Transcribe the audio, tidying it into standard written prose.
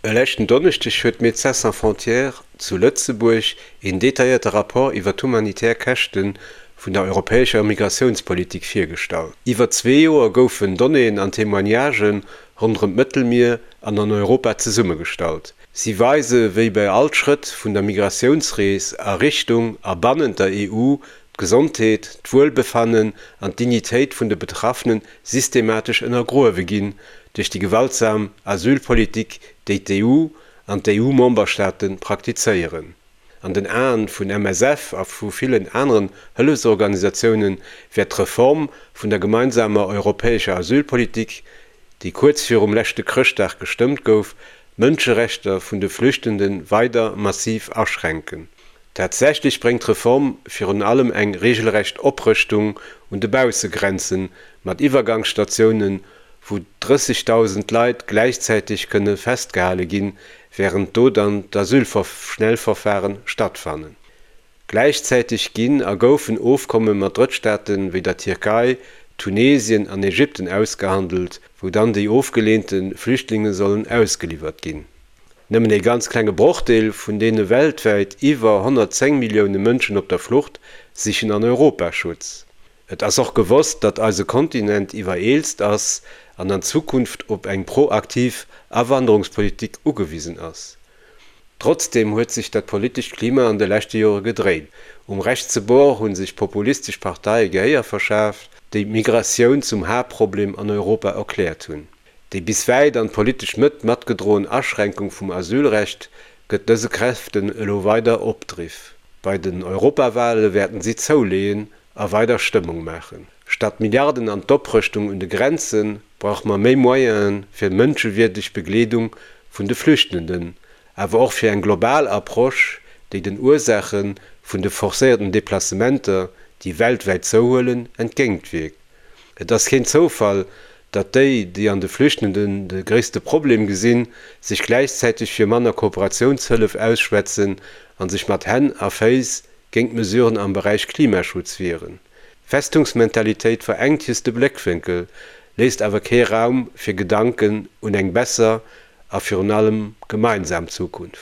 E leschten Donneschdeg huet Médecins Sans Frontières zu Lëtzebuerg een detailléierte Rapport iwwer d'humanitär Käschte vun der europäescher Migratiounspolitik virgestallt. Iwwer zwee Joer goufen Donnéeën an Témoignagen ronderëm d'Mëttelmier an an Europa zesummegestallt. Si weise wéi bei all Schrëtt vun der Migratiounsrees a Richtung a bannent der EU d'Gesondheet, d'Wuelbefannen an d'Dignitéit vun de Betraffene systematesch ënnergruewe ginn duerch déi gewaltsam Asylpolitik, déi d'EU an d'EU-Memberstaate praktizéieren. An den Aen vun MSF a vu villen aneren Hëllefsorganisatioune wäert d'Reform vun der gemeinsamer europäescher Asylpolitik, déi kuerz virum leschte Chrëschtdag gestëmmt gouf, d'Mënscherechter vun de Flüchtende weider massiv aschränken. Tatsächlech bréngt d'Reform virun allem eng reegelrecht Oprëschtung un de Baussegrenzen mat Iwwergangsstatiounen, wou 30.000 Leit gläichzäiteg kënne festgehale ginn, wärend do dann d'Asylschnellverfaren stattfannen. Gläichzäiteg ginn a goufen Ofkomme mat Drëttstaate wéi der Tierkei, Tunesien an Ägypten ausgehandelt, wou dann déi ofgeleente Flüchtlinge sollen ausgeliwwert ginn. Nëmmen ee ganz klenge Brochdeel vun deene weltwäit iwwer 110 Millioune Mënschen op der Flucht sichen an Europa Schutz. Et ass och gewosst, datt eise Kontinent iwwereelst ass an an Zukunft op eng proaktiv Awanderungspolitik ugewisen ass. Trotzdeem huet sech dat politescht Klima an de leschte Jore gedréit. Um rechtse Bord hu sech populistesch Parteie Gehéier verschaaft, déi d'Migratioun zum Haaptproblem an Europa erkläert hunn. Déi bis wäit an d'politesch Mëtt matgedroen Aschränkung vum Asylrecht gëtt dëse Kräften elo weider Opdriff. Bei den Europawale wäerten si zouleeën a weider Stëmmung maachen. Statt Milliarden an d'Oprëschtung un de Grenze brauche mer méi Moyene fir mënschewierdeg Begleedung vun de Flüchtenden, awer och fir eng global Approche, déi den Ursaache vun de forcéierten Deplacementer, déi weltwäit zouhuelen, entgéintwierkt. Et ass keen Zoufall, datt déi, déi an de Flüchtenden de gréisste Problem gesinn, sech gläichzäiteg fir manner Kooperatiounshëllef ausschwätzen a sech mat Hänn a Féiss géint Mesuren am Beräich Klimaschutz wieren. Festungsmentalitéit verengt just de Bléckwénkel, léisst awer kee Raum fir Gedanken un eng besser a virun allem gemeinsam Zukunft.